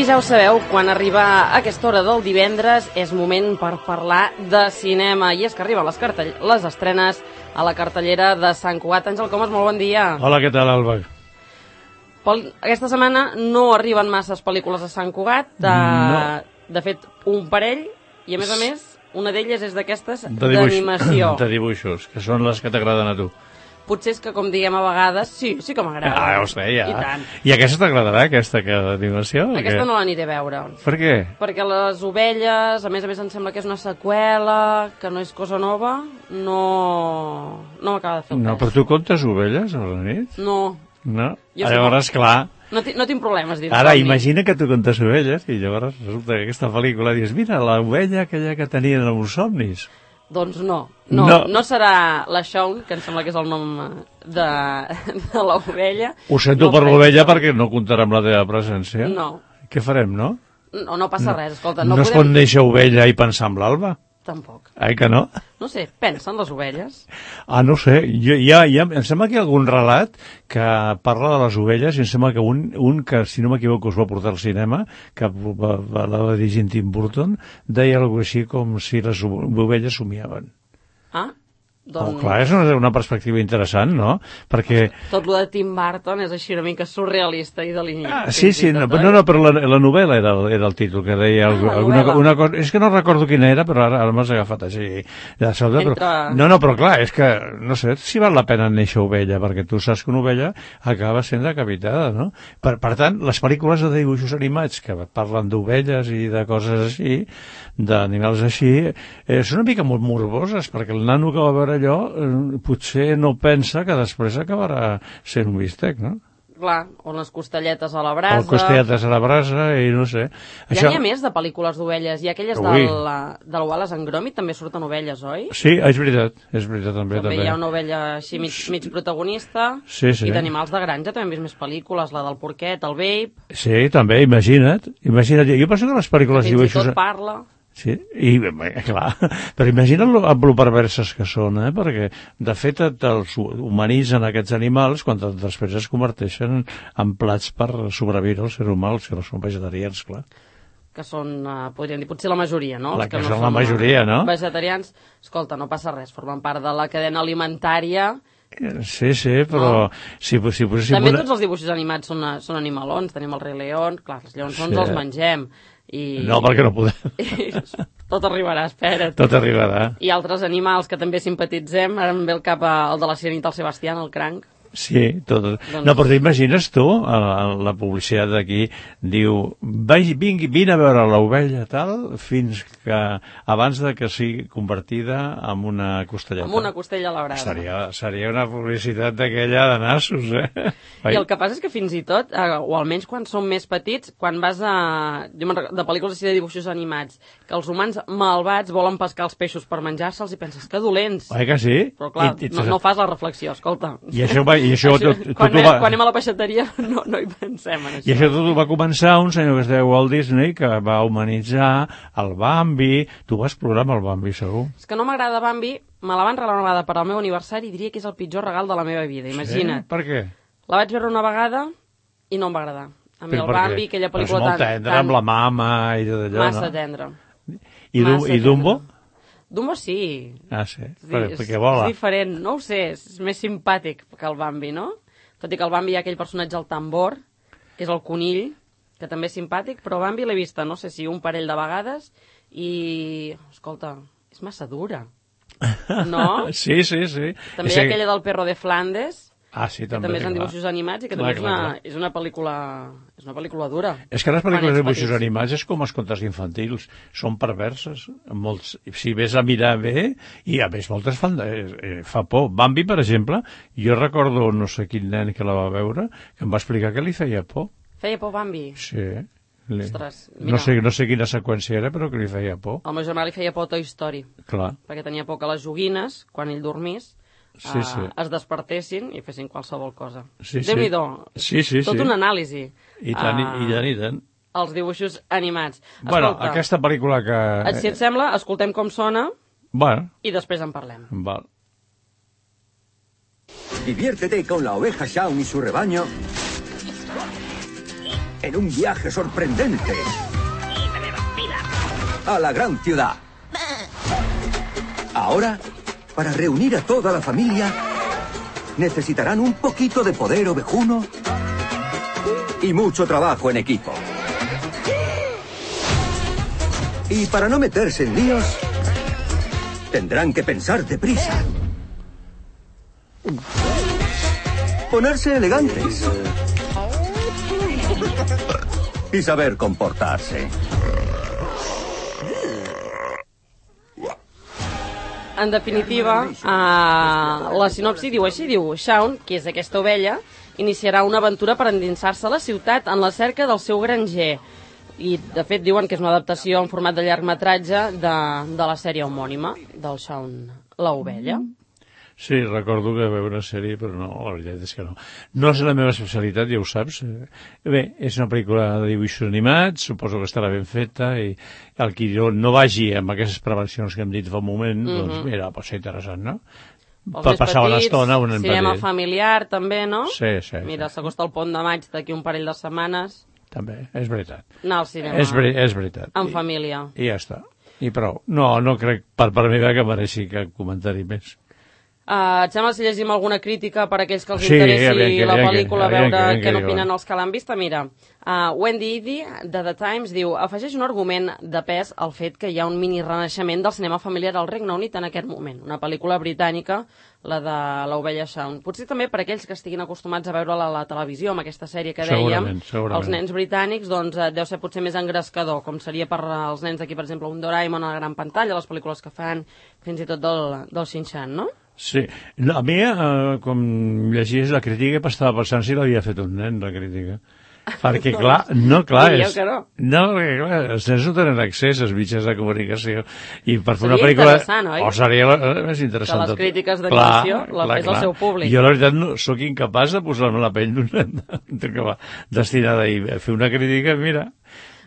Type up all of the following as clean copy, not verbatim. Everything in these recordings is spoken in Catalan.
ja ho sabeu, quan arriba aquesta hora del divendres és moment per parlar de cinema. I és que arriben les estrenes a la cartellera de Sant Cugat. Àngel Comas, molt bon dia. Hola, què tal, Alba? Aquesta setmana no arriben masses pel·lícules a Sant Cugat. De fet, un parell, i a més, una d'elles és d'aquestes d'animació. De dibuixos, que són les que t'agraden a tu. Potser és que, com diguem a vegades, sí que m'agrada. Ja ho sé, ja. I tant. I aquesta t'agradarà, aquesta d'animació? Aquesta no l'aniré a veure. Per què? Perquè les ovelles, a més em sembla que és una seqüela, que no és cosa nova, no m'acaba de fer el pes. No, però tu comptes ovelles a la nit? No. No? Llavors, clar... No tinc problemes, dir-ho. Ara, imagina que tu comptes ovelles i llavors resulta que aquesta pel·lícula dius, mira, l'ovella aquella que tenien els somnis. Doncs no serà la Shaun, que em sembla que és el nom de l'ovella. Ho sento per l'ovella perquè no comptarà amb la teva presència. No. Què farem, no? No passa res, escolta. No es pot néixer ovella i pensar en l'Alba? Tampoc. Que no? No sé, pensa en les ovelles? No sé, em sembla que hi ha algun relat que parla de les ovelles i em sembla que un que, si no m'equivoco, es va portar al cinema, que la va dirigir Tim Burton, deia alguna cosa així com si les ovelles somiaven. Doncs... clar, és una perspectiva interessant, no? Perquè... Tot lo de Tim Burton és així una mica surrealista i de l'inici. Sí, però la novel·la era el títol, que deia alguna cosa... És que no recordo quina era, però ara m'has agafat així de sobte. No, però clar, és que no sé si val la pena néixer ovella, perquè tu saps que una ovella acaba sent decapitada, no? Per tant, les pel·lícules de dibuixos animats que parlen d'ovelles i de coses així, d'animals així, són una mica molt morboses, perquè el nano que va veure allò potser no pensa que després acabarà sent un bistec, no? Clar, o les costelletes a la brasa... O costelletes a la brasa, i no sé... Ja n'hi ha més de pel·lícules d'ovelles. Hi ha aquelles del Wallace and Gromit, també surten ovelles, oi? Sí, és veritat també. També hi ha una ovella així mig protagonista. Sí. I d'animals de granja també hem vist més pel·lícules, la del porquet, el Babe... Sí, també, imagina't. Jo penso que les pel·lícules fins i tot parla... Sí, i clar, però imagina't amb lo perverses que són, perquè de fet els humanitzen aquests animals quan després es converteixen en plats per sobreviure al ser humà, si no són vegetarians, clar. Que són, podríem dir, potser la majoria, no? Que són la majoria, no? Vegetarians, escolta, no passa res, formen part de la cadena alimentària... Sí, però... També tots els dibuixos animats són animalons, tenim el Rei León, clar, els lleons els mengem... No, perquè no podem. Tot arribarà, espera't. Tot arribarà. I altres animals que també simpatitzem, ara em ve el cap el de la Sirenita, el Sebastián, el cranc. Sí, tot. No, però t'imagines tu, la publicitat d'aquí diu, vine a veure l'ovella tal, fins que abans de que sigui convertida en una costelleta. Amb una costella a la brasa. Seria una publicitat d'aquella de nassos, I el que passa és que fins i tot, o almenys quan som més petits, quan vas de pel·lícules així de dibuixos animats, que els humans malvats volen pescar els peixos per menjar-se'ls i penses que dolents. Que sí? Però clar, no fas la reflexió, escolta. Quan anem a la peixateria no hi pensem en això. I això tot va començar un senyor que es deia Walt Disney, que va humanitzar el Bambi. Tu vas plorar amb el Bambi, segur. És que no m'agrada Bambi, me la van regalar una vegada per al meu aniversari i diria que és el pitjor regal de la meva vida, imagina't. Sí? Per què? La vaig veure una vegada i no em va agradar. A mi el Bambi, aquella pel·lícula tan... És molt tendre, amb la mama i tot allò, massa tendre. I Dumbo? Dumbo sí. Sí, perquè vola. És diferent, no ho sé, és més simpàtic que el Bambi, no? Tot i que el Bambi hi ha aquell personatge, el tambor, que és el conill, que també és simpàtic, però Bambi l'he vista, no sé si un parell de vegades, i, escolta, és massa dura, no? Sí. També hi ha aquella del Perro de Flandes, sí, que també és en dibuixos animats i que també és una pel·lícula dura. És que les pel·lícules de dibuixos animats és com els contes infantils, són perverses. Si ves a mirar bé, i a més moltes fa por. Bambi, per exemple, jo recordo no sé quin nen que la va veure, que em va explicar que li feia por. Feia por Bambi? Sí. Ostres, mira. No sé quina seqüència era, però que li feia por. Al meu germà li feia por Toy Story. Clar. Perquè tenia por que les joguines, quan ell dormís, es despertessin i fessin qualsevol cosa. Déu-n'hi-do. Tot una anàlisi. I tant. Els dibuixos animats. Bueno, aquesta pel·lícula que... Si et sembla, escoltem com sona i després en parlem. Val. Diviértete con la oveja Shaun y su rebaño en un viaje sorprendente a la gran ciudad. Ahora, para reunir a toda la familia, necesitarán un poquito de poder ovejuno y mucho trabajo en equipo. Y para no meterse en líos, tendrán que pensar deprisa. Ponerse elegantes. Y saber comportarse. En definitiva, la sinopsi diu així, diu Shaun, qui és aquesta ovella, iniciarà una aventura per endinsar-se a la ciutat en la cerca del seu granger. I, de fet, diuen que és una adaptació en format de llargmetratge de la sèrie homònima del Shaun, l'ovella. Sí, recordo que veure una sèrie, però no, la veritat és que no. No és la meva especialitat, ja ho saps. Bé, és una pel·lícula de dibuixos animats, suposo que estarà ben feta, i el qui no vagi amb aquestes prevencions que hem dit fa un moment, doncs mira, pot ser interessant, no? Per passar una estona un cinema familiar, també, no? Sí. Mira, s'acosta el Pont de Maig d'aquí un parell de setmanes. També, és veritat. Anar al cinema. És veritat. En família. I ja està. I prou. No crec per meva que mereixi cap comentari més. Et sembla si llegim alguna crítica per a aquells que els interessi la pel·lícula, veure què n'opinen els que l'han vista? Mira, Wendy Eady, de The Times, diu: afegeix un argument de pes al fet que hi ha un mini renaixement del cinema familiar al Regne Unit en aquest moment. Una pel·lícula britànica, la de l'ovella Shaun. Potser també per aquells que estiguin acostumats a veure-la a la televisió, amb aquesta sèrie que dèiem, els nens britànics, doncs deu ser potser més engrescador, com seria per als nens d'aquí, per exemple, un Doraemon a la gran pantalla, les pel·lícules que fan, fins i tot del Shin-Chan, no? Sí. A mi, com llegies la crítica, estava pensant si l'havia fet un nen, la crítica. Perquè, clar, és... No, perquè, clar, els nens no tenen accés als mitjans de comunicació. I per fer una pel·lícula... Seria interessant, oi? O seria més interessant. Que les crítiques d'animació la fes el seu públic. Jo, la veritat, no sóc incapaç de posar-me la pell d'un nen que va destinada a fer una crítica, mira...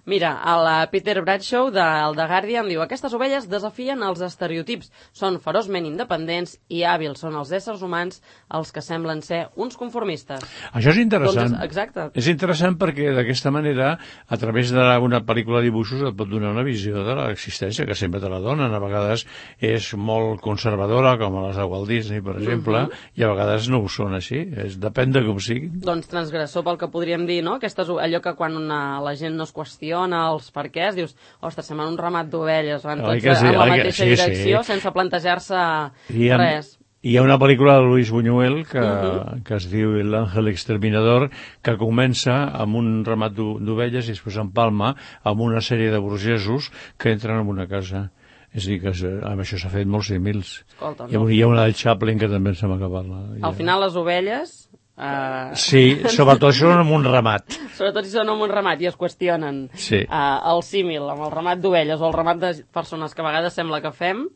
Mira, el Peter Bradshaw, del The Guardian, diu: aquestes ovelles desafien els estereotips, són feroçment independents i hàbils, són els éssers humans els que semblen ser uns conformistes. Això és interessant. Doncs, exacte. És interessant perquè d'aquesta manera, a través d'una pel·lícula de dibuixos, et pot donar una visió de l'existència, que sempre te la donen. A vegades és molt conservadora, com a les de Walt Disney, per exemple, i a vegades no ho són així. Depèn de com sigui. Doncs transgressor pel que podríem dir, no? Allò que quan la gent no es qüestiona els perquès, dius, ostres, sembla un ramat d'ovelles, van tots en la mateixa direcció, sense plantejar-se res. Hi ha una pel·lícula de Luis Buñuel que es diu L'Ángel Exterminador, que comença amb un ramat d'ovelles i després empalma amb una sèrie de burgesos que entren en una casa. És a dir, que amb això s'ha fet molts símils. Hi ha una del Chaplin que també ens hem acabat. Al final les ovelles... Sí, sobretot si són amb un ramat. Sobretot si són amb un ramat i es qüestionen el símil amb el ramat d'ovelles o el ramat de persones que a vegades sembla que fem,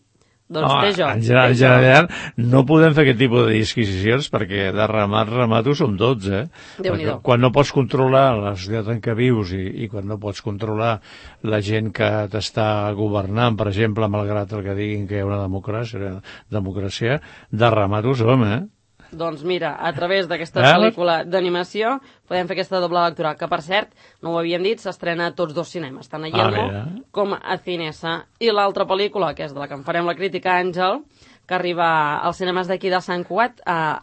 doncs té joc. En general no podem fer aquest tipus de disquisicions perquè de ramat ho som tots, Déu-n'hi-do. Quan no pots controlar la societat en què vius i quan no pots controlar la gent que t'està governant, per exemple, malgrat el que diguin que hi ha una democràcia, de ramat ho som, Doncs mira, a través d'aquesta pel·lícula d'animació podem fer aquesta doble lectura, que per cert, no ho havíem dit, s'estrena a tots dos cinemes, tant a Yelmo com a Cinesa. I l'altra pel·lícula, que és de la que en farem la crítica, Àngel, que arriba als cinemes d'aquí de Sant Cugat,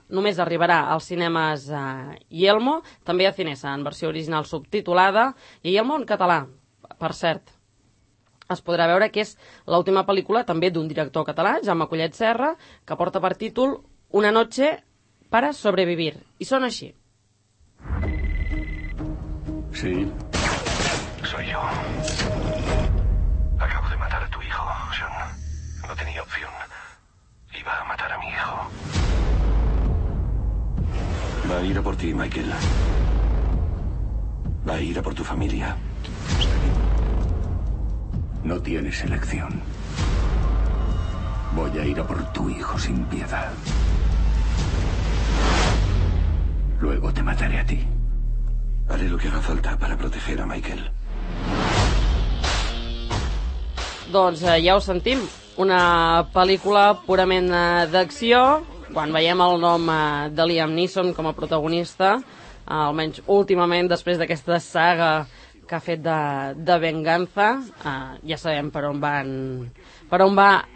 només arribarà als cinemes Yelmo, també a Cinesa, en versió original subtitulada, i Yelmo en català, per cert. Es podrà veure que és l'última pel·lícula també d'un director català, Jaume Collet Serra, que porta per títol Una noche para sobrevivir. Y son así. Sí. Soy yo. Acabo de matar a tu hijo, Sean. No tenía opción. Iba a matar a mi hijo. Va a ir a por ti, Michael. Va a ir a por tu familia. No tienes elección. Voy a ir a por tu hijo sin piedad. Luego te mataré a ti. Haré lo que haga falta para proteger a Michael. Doncs ja ho sentim, una pel·lícula purament d'acció. Quan veiem el nom de Liam Neeson com a protagonista, almenys últimament, després d'aquesta saga que ha fet de venganza, ja sabem per on va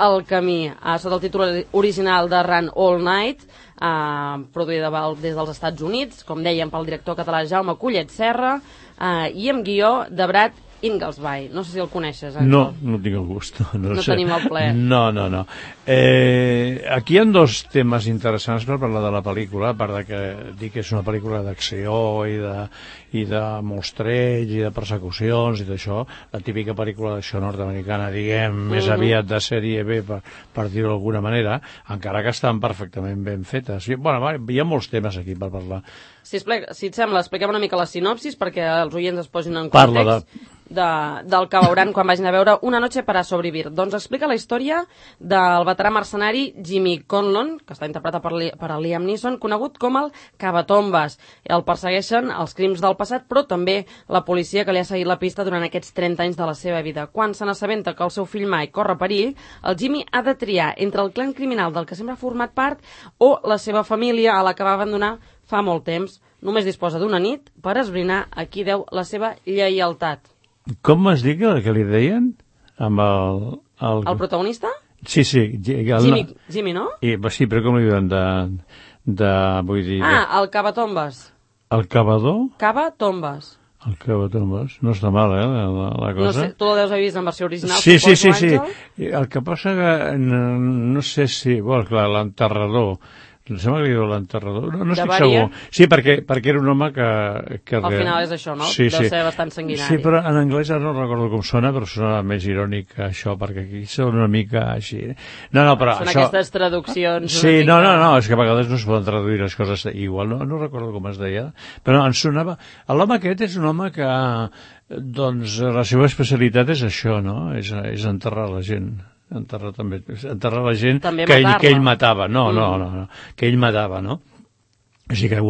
el camí. Sota el títol original de Run All Night, produïda des dels Estats Units, com dèiem, pel director català Jaume Collet Serra, i amb guió de Brad Inglesby. No sé si el coneixes, Àngel. No tinc el gust. No tenim el plaer. No. Aquí hi ha dos temes interessants per parlar de la pel·lícula, a part de que dic que és una pel·lícula d'acció i de mostreig i de persecucions i d'això, la típica pel·lícula d'acció nord-americana, diguem, més aviat de sèrie B, per dir-ho d'alguna manera, encara que estan perfectament ben fetes. Bueno, hi ha molts temes aquí per parlar. Si et sembla, expliquem una mica la sinopsis perquè els oients es posin en context del que veuran quan vagin a veure Una noche para sobrevivir. Doncs explica la història del veterà mercenari Jimmy Conlon, que està interpretat per Liam Neeson, conegut com el Cavatombes. El persegueixen els crims del passat, però també la policia que li ha seguit la pista durant aquests 30 anys de la seva vida. Quan se n'assabenta que el seu fill Mike corre perill, el Jimmy ha de triar entre el clan criminal del que sempre ha format part o la seva família, a la que va abandonar fa molt temps. Només disposa d'una nit per esbrinar a qui deu la seva lleialtat. Com es diu que li deien? Amb el protagonista? Sí. Jimmy, no? Sí, però com li diuen vull dir... el Cavatombes. El cavador? Cavatombes. El Cavatombes. No està mal, la cosa. No sé, tu el deus haver vist en versió original. Sí. El que passa que no sé si... Bueno, clar, l'enterrador... Em sembla que li diu l'enterrador. No estic segur. Sí, perquè era un home que... Al final és això, no? Sí. Deu ser bastant sanguinari. Sí, però en anglès ara no recordo com sona, però sona més irònic que això, perquè aquí sona una mica així. No, però són això... aquestes traduccions... Sí, no, és que a vegades no es poden traduir les coses igual. No recordo com es deia, però em sonava... L'home aquest és un home que... Doncs la seva especialitat és això, no? És enterrar la gent. Enterrar la gent que ell matava. No, que ell matava, no? O sigui que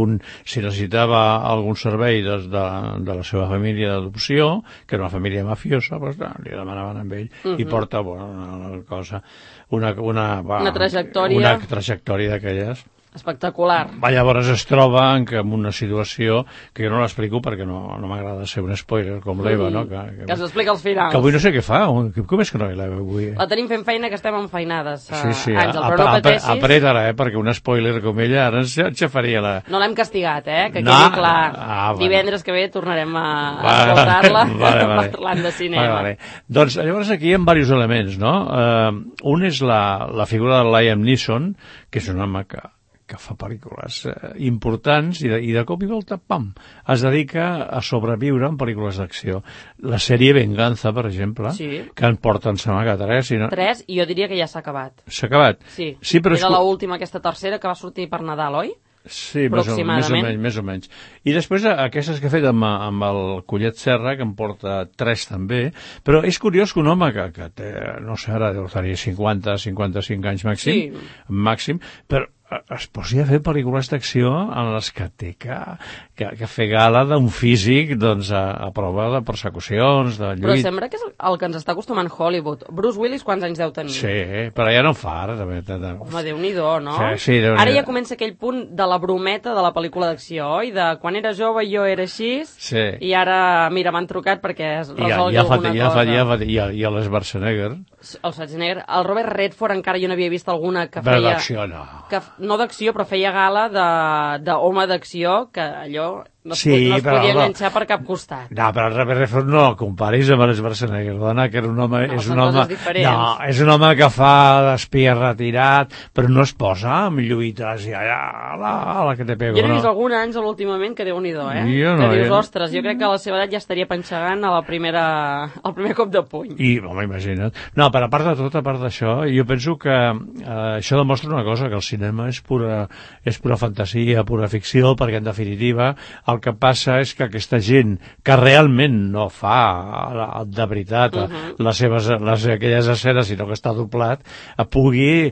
si necessitava algun servei de la seva família d'adopció, que era una família mafiosa, doncs li demanaven amb ell i porta una cosa, una trajectòria d'aquelles. Espectacular. Llavors es troba en una situació que jo no l'explico perquè no m'agrada ser un spoiler com l'Eva, no? Que s'explica als finals. Que avui no sé què fa. Com és que no hi l'Eva avui? La tenim fent feina, que estem enfeinades, sí. Àngel, però no pateixis. Apreta-la, perquè un spoiler com ella ara ens xafaria la... No l'hem castigat, que quedi clar. Divendres que ve tornarem a escoltar-la parlant de cinema. Doncs llavors aquí hi ha diversos elements, no? Un és la figura de Liam Neeson, que és un home que fa pel·lícules importants i de cop i volta, pam, es dedica a sobreviure en pel·lícules d'acció. La sèrie Venganza, per exemple, que en porten, sembla que 3. No? 3, i jo diria que ja s'ha acabat. S'ha acabat? Sí, però era l'última, aquesta tercera, que va sortir per Nadal, oi? Sí, més o menys. I després aquestes que he fet amb el Collet Serra, que en porta 3 també, però és curiós que un home que té, no sé, ara deu tenir 50-55 anys màxim, però es posi a fer pel·lícules d'acció en les que té que fer gala d'un físic a prova de persecucions, de lluita. Però sembla que és el que ens està acostumant Hollywood. Bruce Willis quants anys deu tenir? Sí, però ja no en fa ara. Home, Déu-n'hi-do, no? Sí, ara ja comença aquell punt de la brometa de la pel·lícula d'acció, oi? De quan era jove jo era així, i ara, mira, m'han trucat perquè es resolgui alguna cosa. I el Schwarzenegger. El Schwarzenegger. El Robert Redford encara jo n'havia vist alguna que feia... Però d'acció no. No d'acció, però feia gala d'home d'acció, que allò no es podia enganxar per cap costat. No, però el Robert Redford no el comparis amb el Schwarzenegger, dona, que era un home... No, són coses diferents. No, és un home que fa d'espia retirat, però no es posa amb lluites i allà, la que te pego. Jo n'he vist algun Àngel últimament que Déu-n'hi-do, que dius, ostres, jo crec que a la seva edat ja estaria panxegant al primer cop de puny. I, home, imagina't. No, però a part de tot, a part d'això, jo penso que això demostra una cosa, que el cinema és pura fantasia, pura ficció, perquè en definitiva el que passa és que aquesta gent que realment no fa de veritat aquelles escenes, sinó que està doblat, pugui,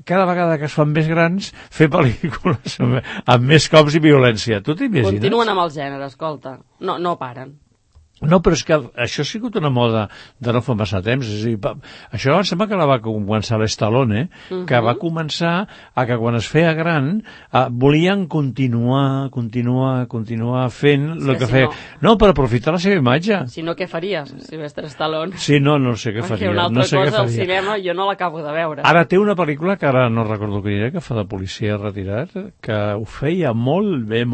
cada vegada que es fan més grans, fer pel·lícules amb més cops i violència. Tu t'imagines? Continuen amb el gènere, escolta. No paren. No, però és que això ha sigut una moda de no fa massa temps. És a dir, això em sembla que la va començar l'Stallone, que va començar a que quan es feia gran volien continuar fent el que feia. No, per aprofitar la seva imatge. Si no, què faries, Sylvester Stallone? Sí, no sé què faria. Una altra cosa al cinema jo no l'acabo de veure. Ara té una pel·lícula que ara no recordo quina era, que fa de policia retirat, que ho feia molt bé.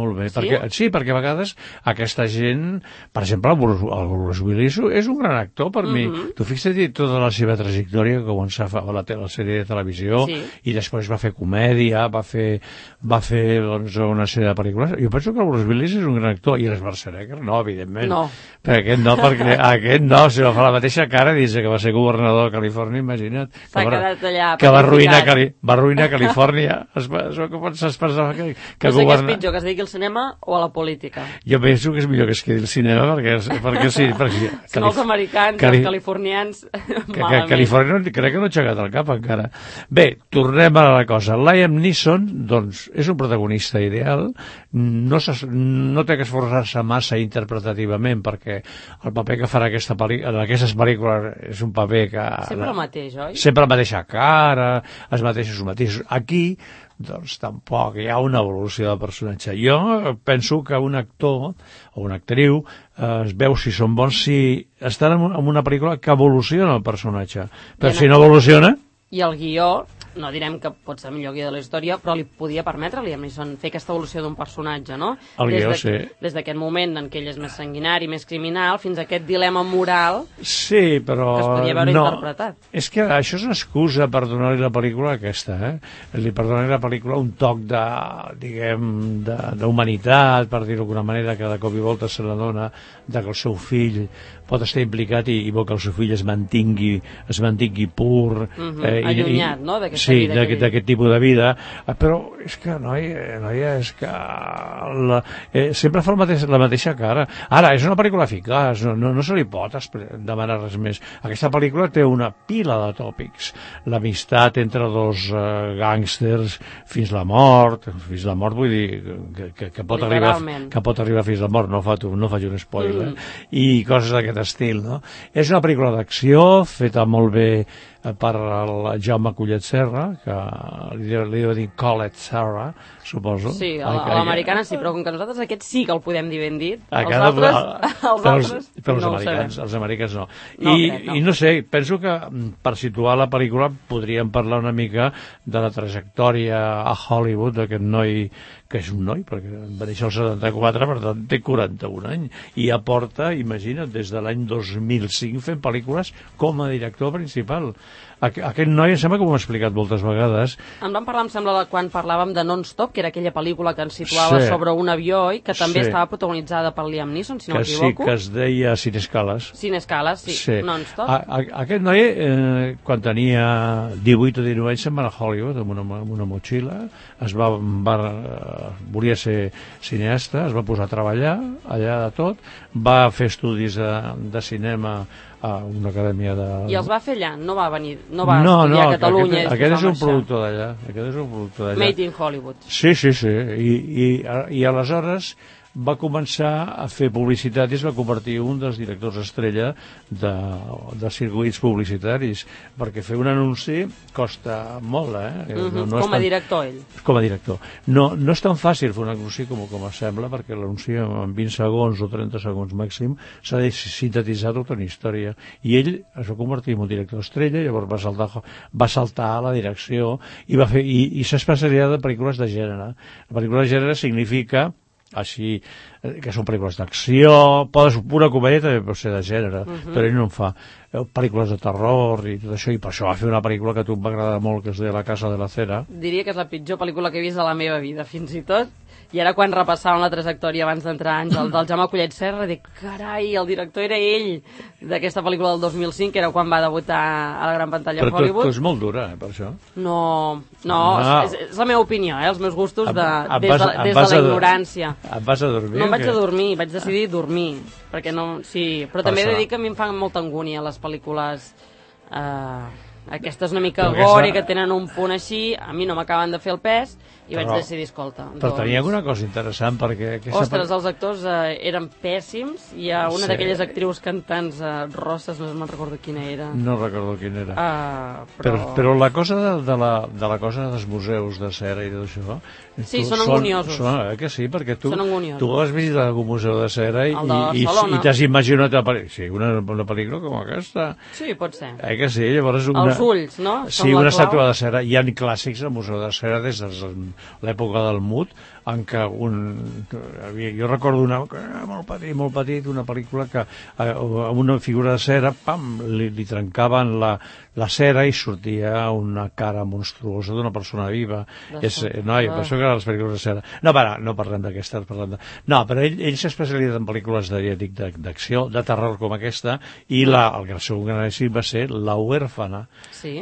Sí, perquè a vegades aquesta gent, per exemple, el Bruce Willis és un gran actor per mi. Tu fixa't tota la seva trajectòria, que començà a la sèrie de televisió i després va fer comèdia, va fer doncs, una sèrie de pel·lícules. Jo penso que el Bruce Willis és un gran actor, i l'Schwarzenegger no, evidentment. No. Perquè aquest no, si va fer la mateixa cara dins que va ser governador de Califòrnia, imagina't. S'ha quedat allà. Que va arruïnar Califòrnia. Això que pots expressar que no sé què és pitjor, que es digui al cinema o a la política. Jo penso que és millor que es quedi al cinema, perquè sí. Són els americans i els californians malament. Califòrnia crec que no ha aixecat el cap encara. Bé, tornem a la cosa. Liam Neeson, doncs, és un protagonista ideal, no té que esforçar-se massa interpretativament, perquè el paper que farà en aquestes pel·lícules és un paper que... Sempre el mateix, oi? Sempre la mateixa cara, els mateixos. Aquí, doncs tampoc hi ha una evolució del personatge. Jo penso que un actor o una actriu es veu si són bons si estan en una pel·lícula que evoluciona el personatge. Però si no evoluciona... I el guió, no direm que pot ser el millor guió de la història, però li podia permetre a Liam Neeson fer aquesta evolució d'un personatge, no? El guió, sí. Des d'aquest moment en què ell és més sanguinari, més criminal, fins a aquest dilema moral sí, però que es podia veure interpretat. És que això és una excusa per donar-li la pel·lícula aquesta, Li per donar-li la pel·lícula un toc d'humanitat, per dir-ho d'alguna manera, que de cop i volta se n'adona que el seu fill pot estar implicat i vol que el seu fill es mantingui pur, allunyat, no? D'aquest tipus de vida. Però és que, noia, és que sempre fa la mateixa cara. Ara, és una pel·lícula eficaç, no se li pot demanar res més. Aquesta pel·lícula té una pila de tòpics. L'amistat entre dos gàngsters fins la mort, vull dir que pot arribar fins a la mort, no faig un spoiler, i coses d'aquest estil, no? És una pel·lícula d'acció feta molt bé per el Jaume Collet Serra, que li deu dir Collet Serra, suposo. Sí, a l'americana sí, però com que nosaltres aquest sí que el podem dir ben dit, els altres no ho sabem. Els americans no. I no sé, penso que per situar la pel·lícula podríem parlar una mica de la trajectòria a Hollywood d'aquest noi, que és un noi, perquè va néixer el 74, per tant té 41 anys, i aporta, imagina't, des de l'any 2005 fent pel·lícules com a director principal. Aquest noi em sembla que ho hem explicat moltes vegades. En vam parlar, em sembla, quan parlàvem de Non-Stop, que era aquella pel·lícula que ens situava sobre un avió i que també estava protagonitzada per Liam Neeson, si no m'equivoco. Sí, que es deia Sin Escales. Sin Escales, sí. Non-Stop. Aquest noi, quan tenia 18 o 19 anys, se'n va a Hollywood amb una motxilla, volia ser cineasta, es va posar a treballar allà de tot, va fer estudis de cinema a una acadèmia de... I els va fer allà, no va venir, no va estudiar a Catalunya. Aquest és un productor d'allà. Made in Hollywood. Sí. I aleshores va començar a fer publicitat i es va convertir en un dels directors estrella de circuits publicitaris, perquè fer un anunci costa molt, com a director, ell. Com a director. No és tan fàcil fer un anunci com es sembla, perquè l'anunci en 20 segons o 30 segons màxim s'ha de sintetitzar tota una història. I ell es va convertir en un director estrella, llavors va saltar a la direcció i s'ha especialitzat en pel·lícules de gènere. La pel·lícula de gènere significa així, que són pel·lícules d'acció, pura comèdia també pot ser de gènere, però ell no en fa pel·lícules de terror i tot això, i per això va fer una pel·lícula que a tu em va agradar molt, que es deia La casa de la cera. Diria que és la pitjor pel·lícula que he vist de la meva vida, fins i tot. I ara quan repassàvem la trajectòria abans d'entrar Àngel del Jaume Collet Serra, dic, carai, el director era ell d'aquesta pel·lícula del 2005, que era quan va debutar a la gran pantalla a Hollywood. Però tu és molt dura, per això. No, és la meva opinió, els meus gustos des de la ignorància. Et vas a dormir? No em vaig a dormir, vaig decidir dormir, perquè no... Sí, però també he de dir que a mi em fan molta angúnia les pel·lícules... Aquestes una mica gore, que tenen un punt així, a mi no m'acaben de fer el pes, i vaig decidir, escolta... Però tenia alguna cosa interessant, perquè... Ostres, els actors eren pèssims. Hi ha una d'aquelles actrius cantants rosses, no me'n recordo quina era. No recordo quina era. Però la cosa de la cosa dels museus de cera i tot això... Sí, són angoniosos. Que sí, perquè tu has visitat algun museu de cera i t'has imaginat una pel·lícula com aquesta. Sí, pot ser. Que sí, llavors... Els ulls, no? Sí, una estàtua de cera. Hi ha clàssics al museu de cera des de l'època del Mut, en què jo recordo molt petit, una pel·lícula que amb una figura de cera, pam, li trencaven la cera i sortia una cara monstruosa d'una persona viva. Per això que eren les pel·lícules de cera. No parlem d'aquesta, no, però ell s'ha especialitzat en pel·lícules d'acció, de terror com aquesta, i el seu gran èxit va ser La huérfana,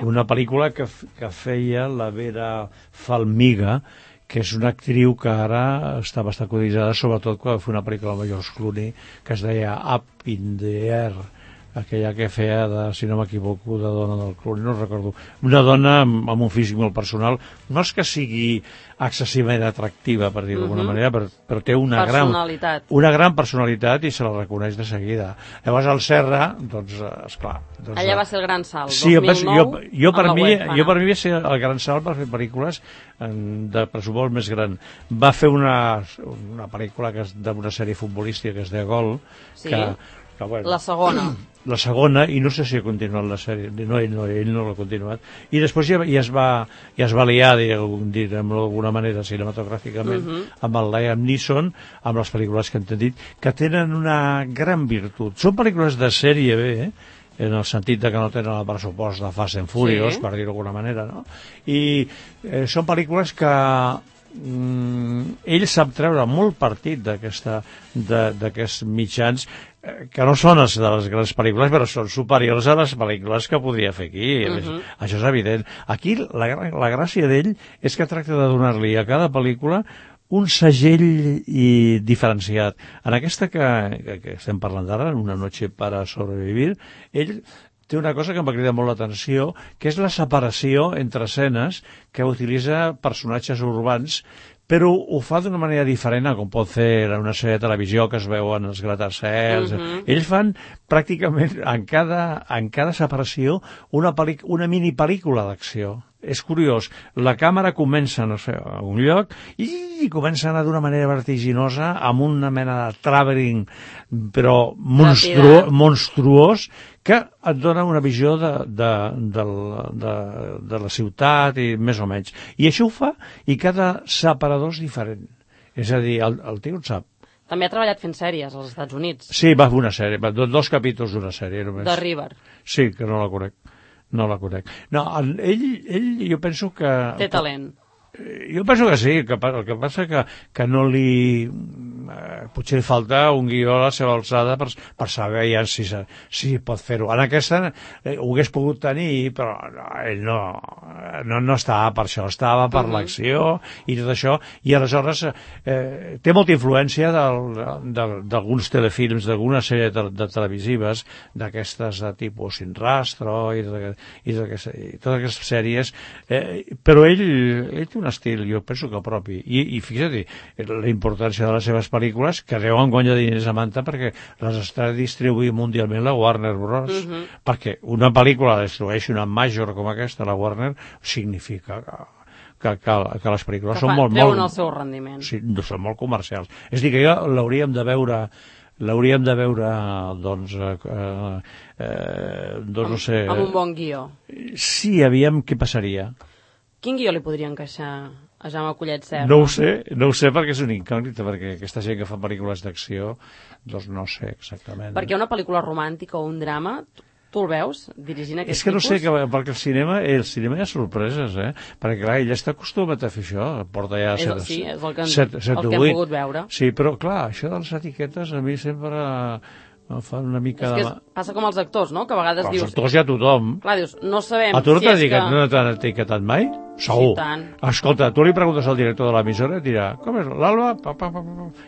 una pel·lícula que feia la Vera Farmiga, que és una actriu que ara està bastant cotitzada, sobretot quan va fer una pel·lícula amb George Clooney que es deia Up in the Air, aquella que feia, si no m'equivoco, de dona del Clooney, no recordo. Una dona amb un físic molt personal, no és que sigui excessivament atractiva, per dir d'alguna manera, però té una gran personalitat i se la reconeix de seguida. Llavors el Serra, doncs, esclar... Allà va ser el gran salt, sí, 2009, jo per mi va ser el gran salt per fer pel·lícules de pressupost més gran. Va fer una pel·lícula d'una sèrie futbolística que es deia Gol, la segona, i no sé si ha continuat la sèrie, ell no l'ha continuat, i després ja es va liar, diguem-ho d'alguna manera, cinematogràficament, amb el Liam Neeson, amb les pel·lícules que hem dit, que tenen una gran virtut. Són pel·lícules de sèrie B, en el sentit que no tenen el pressupost de Fast and Furious, per dir-ho d'alguna manera, no? I són pel·lícules que ell sap treure molt partit d'aquests mitjans que no són de les grans pel·lícules, però són superiors a les pel·lícules que podria fer aquí. Això és evident. Aquí la gràcia d'ell és que tracta de donar-li a cada pel·lícula un segell diferenciat. En aquesta que estem parlant d'ara, Una noche para sobrevivir, ell té una cosa que em va cridar molt l'atenció, que és la separació entre escenes que utilitza personatges urbans, però ho fa d'una manera diferent com pot fer en una sèrie de televisió que es veuen els gratacels. Ells fan pràcticament en cada separació una mini pel·lícula d'acció. És curiós, la càmera comença, no sé, a un lloc i comença a anar d'una manera vertiginosa amb una mena de travelling però monstruós que et dona una visió de la ciutat i més o menys. I això ho fa i cada separador és diferent. És a dir, el tio en sap. També ha treballat fent sèries als Estats Units. Sí, va fer una sèrie, 2 capítols d'una sèrie només. De River. Sí, que no la conec. No, ell jo penso que... Té talent. Jo penso que sí, el que passa que no li... potser li falta un guió a la seva alçada per saber ja si pot fer-ho. En aquesta ho hagués pogut tenir, però ell no estava per això, estava per l'acció i tot això, i aleshores té molta influència d'alguns telefilms, d'algunes sèries de televisives, d'aquestes de tipus Sin Rastro i totes aquestes sèries, però ell té un estil, jo penso que propi, i fixa't la importància de les seves pel·lícules, que deuen guanyar diners a manta perquè les està distribuint mundialment la Warner Bros. Perquè una pel·lícula distribueixi una major com aquesta, la Warner, significa que les pel·lícules són molt... treuen el seu rendiment. Sí, són molt comercials. És a dir, que jo l'hauríem de veure, doncs, no sé... Amb un bon guió. Sí, aviam què passaria. Quin guió li podria encaixar a Jaume Collet Serra? No ho sé perquè és una incògnita, perquè aquesta gent que fa pel·lícules d'acció, doncs no sé exactament. Perquè una pel·lícula romàntica o un drama, tu el veus dirigint aquest tipus? És que no sé, perquè el cinema hi ha sorpreses, perquè clar, ell està acostumat a fer això, porta ja... Sí, és el que hem pogut veure. Sí, però clar, això de les etiquetes a mi sempre... fan una mica és que passa com els actors, no? Que a vegades dius... Els actors ja tothom. Clar, dius, no sabem si és que... A tu no t'han etiquetat mai? Segur. tant. Escolta, tu li preguntes al director de l'emissora i dirà, com és l'Alba?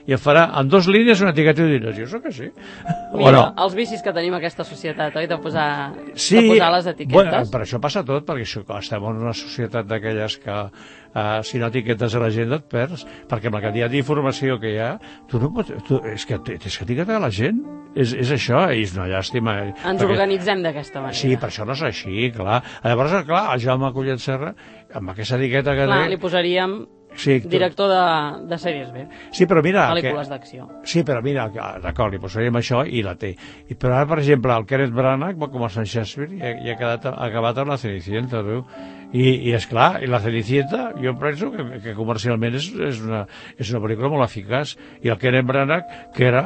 I et farà en 2 línies una etiqueta i diràs, jo sóc així. Mira, els vicis que tenim aquesta societat, oi? De posar les etiquetes. Bueno, per això passa tot, perquè estem en una societat d'aquelles que si no etiquetes a la gent et perds, perquè amb la quantitat d'informació que hi ha, tu no pots... és que tens que etiquetar a la gent. És això, i és una llàstima. Ens organitzem d'aquesta manera. Sí, per això no és així, clar. Llavors, clar, el Jaume Collet Serra, amb aquesta etiqueta que té... Li posaríem director de sèries B. Sí, però mira... Pel·lícules d'acció. Sí, però mira, d'acord, li posaríem això i la té. Però ara, per exemple, el Kenneth Branagh va començar en Shakespeare i ha acabat amb la Cenicienta, veu? I esclar, i la Cenicienta jo penso que comercialment és una pel·lícula molt eficaç, i el Kenneth Branagh, que era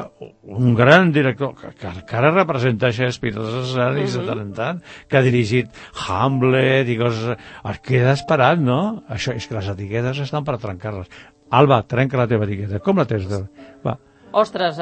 un gran director que ara representa Shakespeare als escenaris de tant en tant, que ha dirigit Hamlet i coses... Es queda esperat, no? Això és que les etiquetes estan per trencar-les. Alba, trenca la teva etiqueta. Com la tens? Va. Ostres,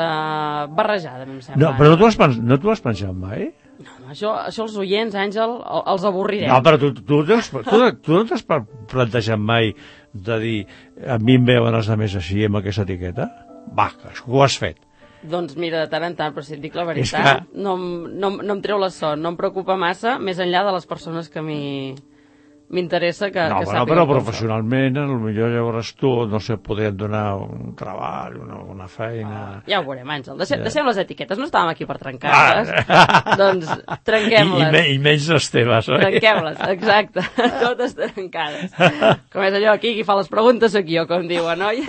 barrejada, em sembla. No, però no t'ho has pensat mai? No, això els oients, Àngel, els avorrirem. No, però tu no t'has plantejat mai de dir a mi em veuen els altres així amb aquesta etiqueta? Va, ho has fet. Doncs mira, de tant en tant, però si et dic la veritat, no em treu la son, no em preocupa massa, més enllà de les persones que m'interessa que sàpiguen. Però professionalment, potser llavors tu, no sé, podrien donar un treball, una feina... Ja ho veurem, Àngel. Deixem les etiquetes, no estàvem aquí per trencar-les. Doncs trenquem-les. I menys les teves, oi? Trenquem-les, exacte. Totes trencades. Com és allò aquí, qui fa les preguntes sóc jo, com diuen, oi?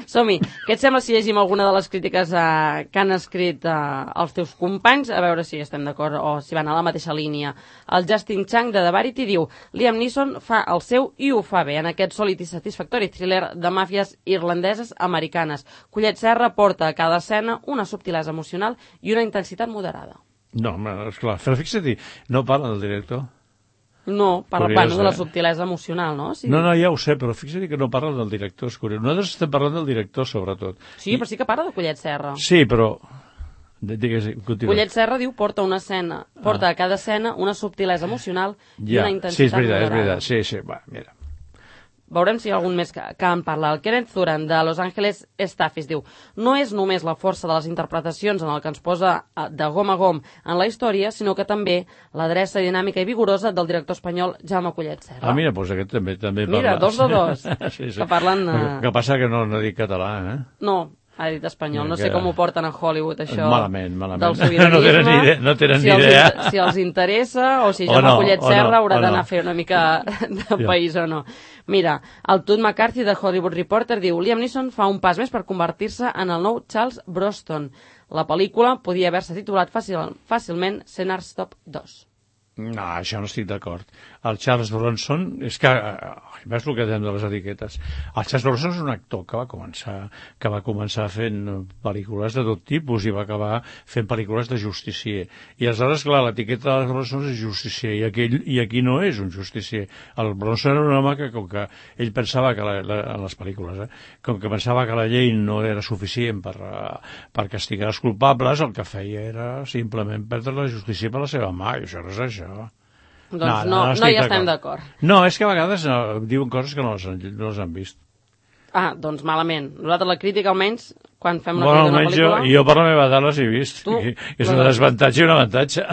Som-hi. Què et sembla si llegim alguna de les crítiques que han escrit els teus companys? A veure si estem d'acord o si van a la mateixa línia. El Justin Chang de The Variety diu: Liam Neeson fa el seu i ho fa bé en aquest sòlid i satisfactori thriller de màfies irlandeses americanes. Collet Serra porta a cada escena una subtilesa emocional i una intensitat moderada. No, esclar, però fixa't, no parla del director. No, parla de la subtilesa emocional, no? Sí. No, ja ho sé, però fixa't que no parla del director, és curiós. Nosaltres estem parlant del director, sobretot. Sí, però sí que parla de Collet Serra. Sí, però... Digues, continua. Collet Serra diu porta a cada escena una subtilesa emocional i una intensitat moderada. És veritat, sí, va, mira. Veurem si hi ha algun més que en parla. El Kenneth Thuran, de Los Angeles Staffis, diu: no és només la força de les interpretacions en el que ens posa de gom a gom en la història, sinó que també l'adreça dinàmica i vigorosa del director espanyol Jaume Collet Serra. Mira, doncs aquest també parla. Mira, 2 de 2, sí. que parlen... Que passa que no dic català, No, ha dit espanyol. No sé com ho porten a Hollywood, això. Malament. Del sobiranisme. No tenen ni idea. Si els interessa, o si Jaume Collet Serra haurà d'anar a fer una mica de país o no. Mira, el Todd McCarthy de Hollywood Reporter diu: Liam Neeson fa un pas més per convertir-se en el nou Charles Bronson. La pel·lícula podia haver-se titulat fàcilment Scenar Stop 2. No, això no estic d'acord. El Charles Bronson, és que, ves el que dèiem de les etiquetes, el Charles Bronson és un actor que va començar fent pel·lícules de tot tipus i va acabar fent pel·lícules de justicier. I aleshores, clar, l'etiqueta de Bronson és justicier, i aquí no és un justicier. El Bronson era un home que, com que ell pensava que, en les pel·lícules, com que pensava que la llei no era suficient per castigar els culpables, el que feia era simplement perdre la justícia per la seva mà, i això no és això. Doncs no hi estem d'acord. No, és que a vegades diuen coses que no les han vist. Doncs malament. Nosaltres la crítica, almenys, quan fem una pel·lícula... Jo per la meva edat les he vist. És un desavantatge i un avantatge.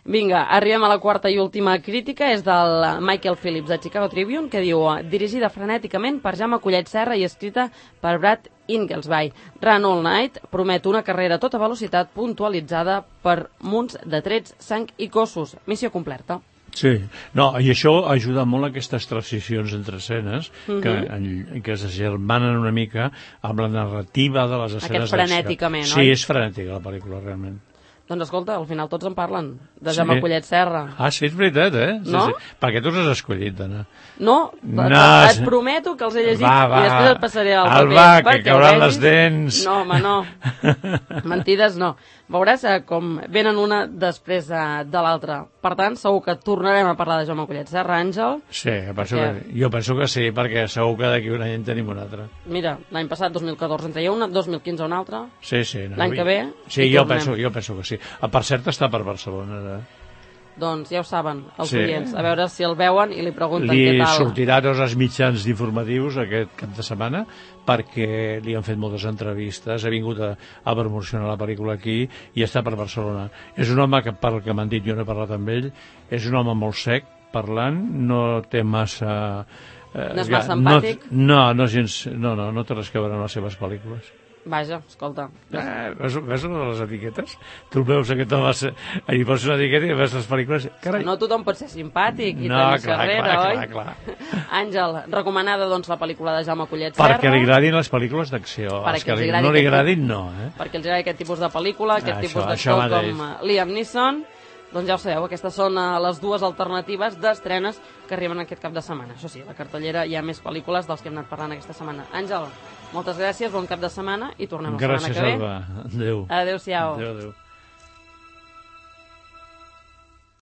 Vinga, arribem a la quarta i última crítica. És del Michael Phillips, de Chicago Tribune, que diu: dirigida frenèticament per Jaume Collet Serra i escrita per Brad Inglesby, Run All Night promet una carrera a tota velocitat puntualitzada per munts de trets, sang i cossos. Missió completa. Sí, no, i això ajuda molt a aquestes transicions entre escenes que es germanen una mica amb la narrativa de les escenes. Aquest frenèticament, oi? Sí, és frenètica la pel·lícula, realment. Doncs escolta, al final tots en parlen, de Jaume Collet Serra. Sí, és veritat, No? Sí. Perquè tu has escollit, Anna. No, et prometo que els he llegit i després et passaré el paper. Que cauran les dents. No, home, no. Mentides no. Veuràs com venen una després de l'altra. Per tant, segur que tornarem a parlar de Jaume Collet Serra, Àngel. Sí, jo penso que sí, perquè segur que d'aquí un any en tenim un altre. Mira, l'any passat, 2014, en treia una, 2015 una altra. Sí. L'any que ve... Sí, jo penso que sí. Per cert, està per Barcelona. Doncs ja ho saben, els oients, a veure si el veuen i li pregunten què tal. Li sortirà tots els mitjans informatius aquest cap de setmana perquè li han fet moltes entrevistes, ha vingut a promocionar la pel·lícula aquí i està per Barcelona. És un home que, pel que m'han dit, jo no he parlat amb ell, és un home molt sec parlant, no té massa... no és massa empàtic? No té res a veure amb les seves pel·lícules. Vaja, escolta. Ves les etiquetes? Tu veus aquest home, hi poses una etiqueta i ves les pel·lícules... Carai. No tothom pot ser simpàtic i tenir carrera, oi? Clar. Àngel, recomanada doncs la pel·lícula de Jaume Collet Serra. Perquè li agradin les pel·lícules d'acció. Els que no li agradin, no. Perquè els agradi aquest tipus de pel·lícula, aquest tipus d'actor com Liam Neeson. Doncs ja ho sabeu, aquestes són les dues alternatives d'estrenes que arriben aquest cap de setmana. Això sí, a la cartellera hi ha més pel·lícules dels que hem anat parlant aquesta setmana. Àngel, moltes gràcies, bon cap de setmana i tornem la setmana que ve. Gràcies, Alba. Adéu. Adéu-siau. Adéu.